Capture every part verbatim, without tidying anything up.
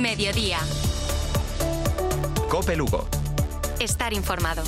Mediodía. COPE Lugo. Estar informado.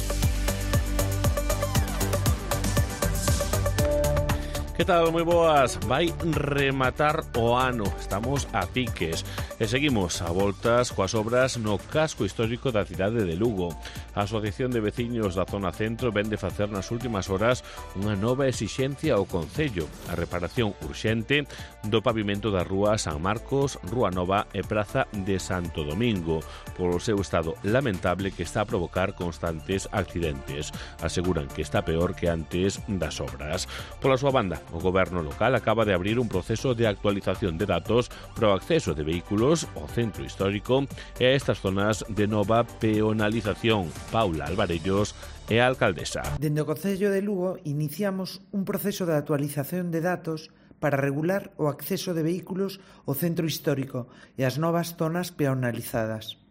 Que tal? Moi boas. Vai rematar o ano. Estamos a piques. E seguimos a voltas coas obras no casco histórico da cidade de Lugo. A Asociación de Veciños da Zona Centro vén de facer nas últimas horas unha nova exixencia ao Concello. A reparación urxente do pavimento da Rúa San Marcos, Rúa Nova e Praza de Santo Domingo, polo seu estado lamentable que está a provocar constantes accidentes. Aseguran que está peor que antes das obras. Pola súa banda, o goberno local acaba de abrir un proceso de actualización de datos para o acceso de vehículos ao centro histórico e a estas zonas de nova peonalización. Paula Alvarellos é a alcaldesa. Dende o Concello de Lugo iniciamos un proceso de actualización de datos para regular o acceso de vehículos ao centro histórico e as novas zonas peonalizadas.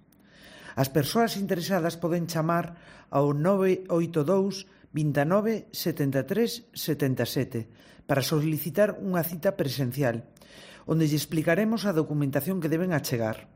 As persoas interesadas poden chamar ao nove oito dous, veintinueve, setenta e tres, setenta e sete para solicitar unha cita presencial, onde lle explicaremos a documentación que deben achegar.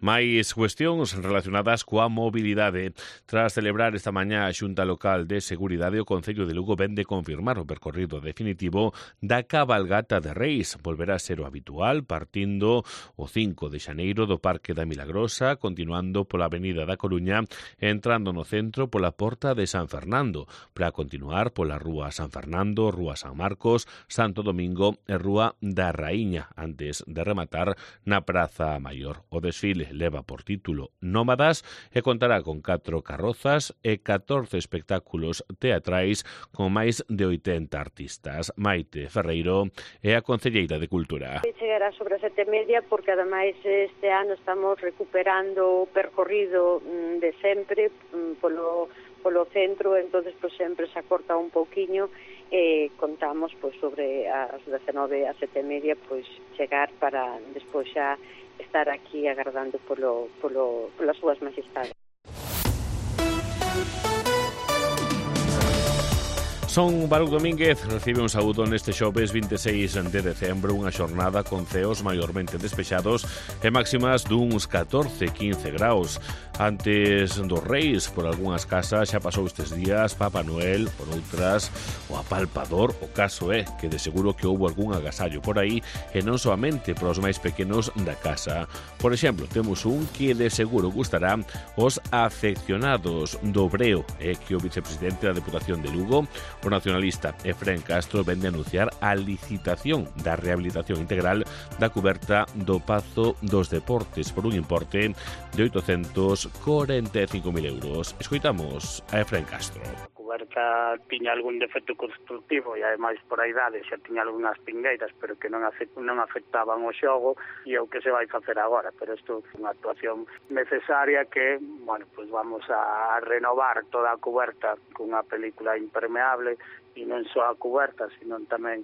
Mais cuestións relacionadas coa mobilidade. Tras celebrar esta mañá a Xunta Local de Seguridade, o Concello de Lugo vén de confirmar o percorrido definitivo da cabalgata de Reis. Volverá a ser o habitual, partindo o cinco de xaneiro do Parque da Milagrosa, continuando pola Avenida da Coruña, entrando no centro pola Porta de San Fernando, para continuar pola Rúa San Fernando, Rúa San Marcos, Santo Domingo e Rúa da Raíña, antes de rematar na Praza Maior. O desfile leva por título Nómadas e contará con catro carrozas e catorce espectáculos teatrais con máis de oitenta artistas. Maite Ferreiro é a concelleira de Cultura. Chegará sobre as sete e media porque ademais este ano estamos recuperando o percorrido de sempre polo, polo centro, entonces pues, sempre se acorta un pouquiño e contamos pues, sobre as dezenove a sete e media pues, chegar para despois xa estar aquí agardando polo, polo, polas súas majestades. Son Baruch Domínguez recibe un saúdo neste xoves vinte e seis de decembro, unha xornada con ceos maiormente despexados e máximas duns catorce a quince graus. Antes dos Reis, por algunhas casas xa pasou estes días Papá Noel, por outras o apalpador. O caso é que de seguro que houbo algún agasallo por aí e non soamente para os máis pequenos da casa. Por exemplo, temos un que de seguro gustará os afeccionados do Breo, é que o vicepresidente da Deputación de Lugo, o nacionalista Efrén Castro, vende a anunciar a licitación da rehabilitación integral da cuberta do Pazo dos Deportes por un importe de oitocentos corenta e cinco mil euros. Escoitamos a Efrén Castro. A cuberta tiña algún defecto constructivo e ademais por a idade xa tiña algunhas pingueiras, pero que non, afect, non afectaban o xogo e o que se vai facer agora, pero isto é unha actuación necesaria que, bueno, pues vamos a renovar toda a cuberta cunha película impermeable e non só a cuberta, sino tamén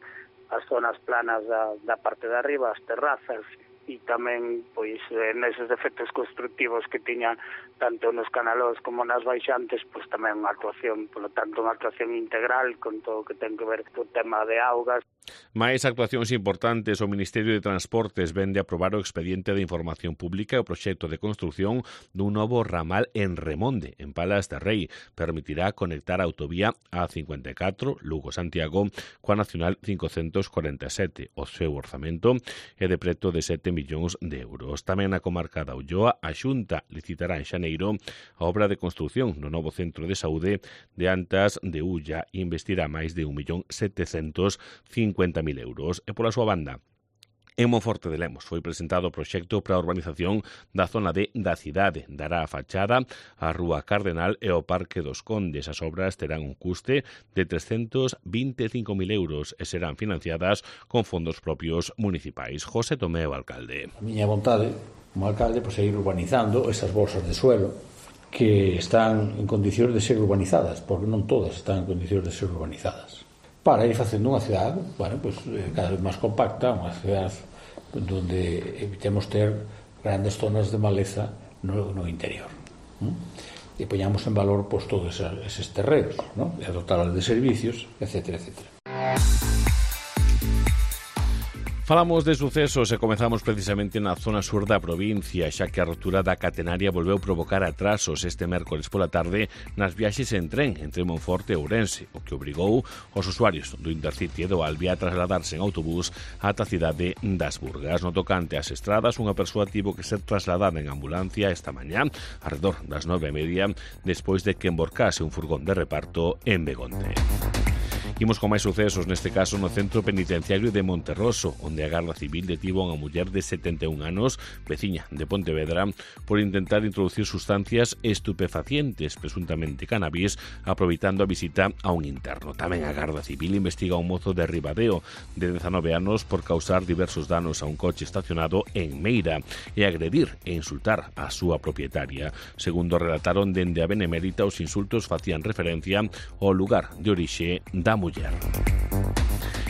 as zonas planas da, da parte de arriba, as terrazas, e tamén pois neses defectos constructivos que tiñan tanto nos canalós como nas baixantes, pois tamén unha actuación, polo tanto unha actuación integral con todo o que ten que ver co tema de augas. Mais actuacións importantes, o Ministerio de Transportes vende a aprobar o expediente de información pública e o proxecto de construción dun novo ramal en Remonde, en Palas de Rei. Permitirá conectar a autovía A cincuenta e catro, Lugo-Santiago, coa Nacional cincocentos cuarenta e sete. O seu orzamento é de preto de sete millóns de euros. Tamén na comarca da Ulloa, a Xunta licitará en xaneiro a obra de construción no novo centro de saúde de Antas de Ulla e investirá máis de un millón setecentos cincuenta mil euros. E pola súa banda, en Monforte de Lemos foi presentado o proxecto para a urbanización da zona D da cidade. Dará a fachada a Rúa Cardenal e o Parque dos Condes. As obras terán un custe de trescentos vinte e cinco mil euros e serán financiadas con fondos propios municipais. José Tomé, o alcalde. A miña vontade, como alcalde, pois seguir urbanizando esas bolsas de suelo que están en condicións de ser urbanizadas, porque non todas están en condicións de ser urbanizadas, para ir facendo unha cidade, bueno, pues, cada vez máis compacta, unha cidade onde evitemos ter grandes zonas de maleza no, no interior. ¿no? E poñamos en valor pues, todos eses terreos, ¿no? E dotarlos de servicios, etcétera, etcétera. Falamos de sucesos e comezamos precisamente na zona sur da provincia, xa que a rotura da catenaria volveu provocar atrasos este mércoles pola tarde nas viaxes en tren entre Monforte e Ourense, o que obrigou os usuarios do Intercity e do Albi a trasladarse en autobús ata a cidade das Burgas. No tocante ás estradas, unha persoa tivo que ser trasladada en ambulancia esta mañá, alrededor das nove e media, despois de que emborcase un furgón de reparto en Begonte. Imos con máis sucesos, neste caso no centro penitenciario de Monterroso, onde a Garda Civil detivo a unha muller de setenta e un anos, veciña de Pontevedra, por intentar introducir sustancias estupefacientes, presuntamente cannabis, aproveitando a visita a un interno. Tamén a Garda Civil investiga un mozo de Ribadeo, de dezanove anos, por causar diversos danos a un coche estacionado en Meira e agredir e insultar a súa propietaria. Segundo relataron dende a Benemérita, os insultos facían referencia ao lugar de orixe da muller.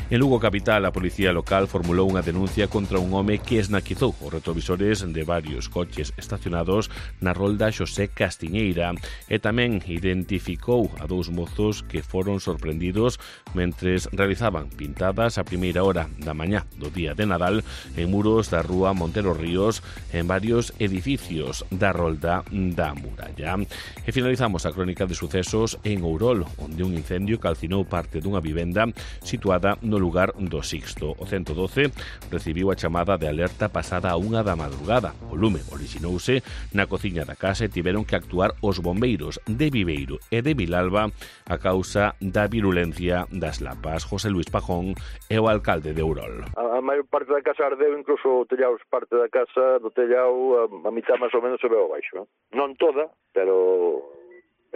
En Lugo capital, a policía local formulou unha denuncia contra un home que esnaquizou os retrovisores de varios coches estacionados na rolda Xosé Castiñeira e tamén identificou a dous mozos que foron sorprendidos mentres realizaban pintadas a primeira hora da mañá do día de Nadal en muros da rúa Montero Ríos en varios edificios da rolda da Muralla. E finalizamos a crónica de sucesos en Ourol, onde un incendio calcinou parte dunha vivenda situada no lugar do Sixto. O ciento doce recibiu a chamada de alerta pasada a unha da madrugada. O lume orixinouse na cociña da casa e tiveron que actuar os bombeiros de Viveiro e de Vilalba a causa da virulencia das lapas. José Luis Pajón é o alcalde de Ourol. A, a maior parte da casa ardeu, incluso o tellado, parte da casa do tellado, a, a mitad máis ou menos se veo abaixo. Eh? Non toda, pero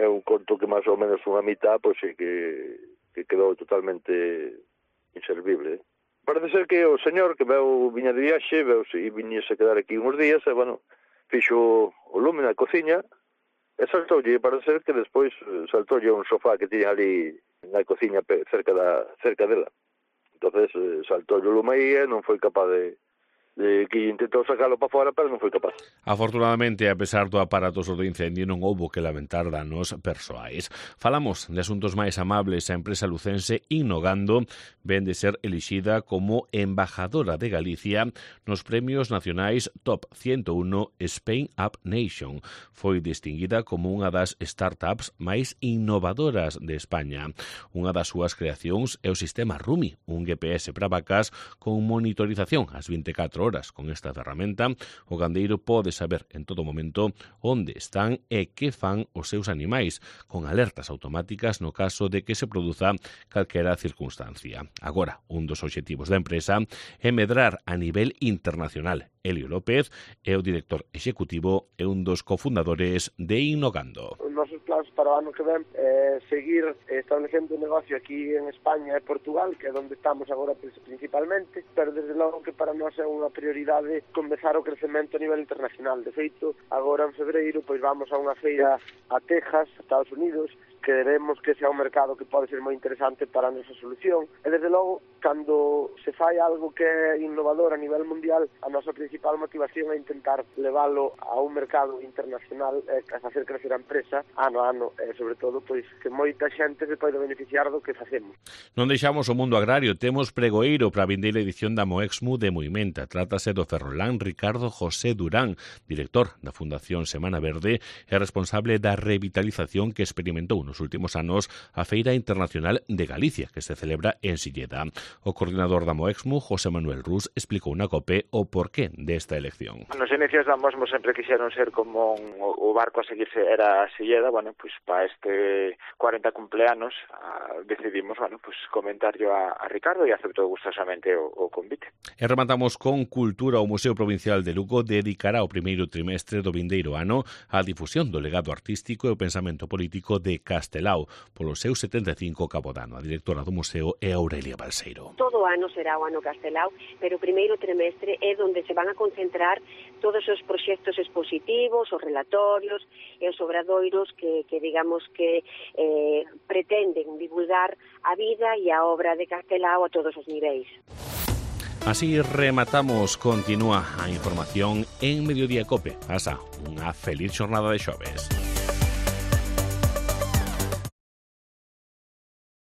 é un conto que máis ou menos unha mitad, pois sí que, que quedou totalmente inservible. Parece ser que o señor que veu viña de viaxe, veu e viñese a quedar aquí uns días, e, bueno, fixo o lume na cociña e saltoulle, parece ser que despois saltoulle un sofá que tiña ali na cociña cerca da cerca dela. Entonces saltoulle o lume aí e non foi capaz de de que intentou sacarlo para fora, pero non foi capaz. Afortunadamente, a pesar do aparatoso do incendio, non houbo que lamentar danos persoais. Falamos de asuntos máis amables. A empresa lucense Innogando ven de ser elixida como embajadora de Galicia nos premios nacionais Top ciento uno Spain Up Nation. Foi distinguida como unha das startups máis innovadoras de España. Unha das súas creacións é o sistema Rumi, un G P S para vacas con monitorización ás vinte e catro horas. Con esta ferramenta, o gandeiro pode saber en todo momento onde están e que fan os seus animais, con alertas automáticas no caso de que se produza calquera circunstancia. Agora, un dos obxectivos da empresa é medrar a nivel internacional. Elio López é o director executivo e un dos cofundadores de Innogando. Os nosos plans para o ano que ven é seguir establecendo un negocio aquí en España e Portugal, que é onde estamos agora principalmente, pero desde logo que para nós é unha prioridade comezar o crecemento a nivel internacional. De feito, agora en febreiro pois vamos a unha feira a Texas, Estados Unidos, que vemos que sea un mercado que pode ser moi interesante para a nosa solución. E desde logo, cando se fai algo que é innovador a nivel mundial, a nosa principal motivación é intentar leválo a un mercado internacional e a facer crecer a empresa ano a ano, e sobre todo pois que moita xente se pode beneficiar do que facemos. Non deixamos o mundo agrario, temos pregoeiro para a vindeira edición da Moexmu de Moimenta. Trátase do ferrolán Ricardo José Durán, director da Fundación Semana Verde e responsable da revitalización que experimentou nos últimos anos a Feira Internacional de Galicia, que se celebra en Silleda. O coordinador da Moexmu, José Manuel Rus, explicou na COPE o porqué desta elección. Nos inicios da Moexmu sempre quixeron ser como un, o barco a seguirse era a Silleda. Bueno, pues para este cuarenta cumpleanos a, decidimos, bueno, pues comentarlo a, a Ricardo e aceptou gustosamente o, o convite. E rematamos con cultura. O Museo Provincial de Lugo dedicará o primeiro trimestre do vindeiro ano á difusión do legado artístico e o pensamento político de Castelao polo seu setenta e cinco cabodano. A directora do museo é Aurelia Balseiro. Todo o ano será o ano Castelao, pero o primeiro trimestre é onde se van a concentrar todos os proxectos expositivos, os relatorios e os obradoiros que, que digamos que eh, pretenden divulgar a vida e a obra de Castelao a todos os niveis. Así rematamos. Continúa a información en Mediodía Cope. Pasa unha feliz xornada de xoves.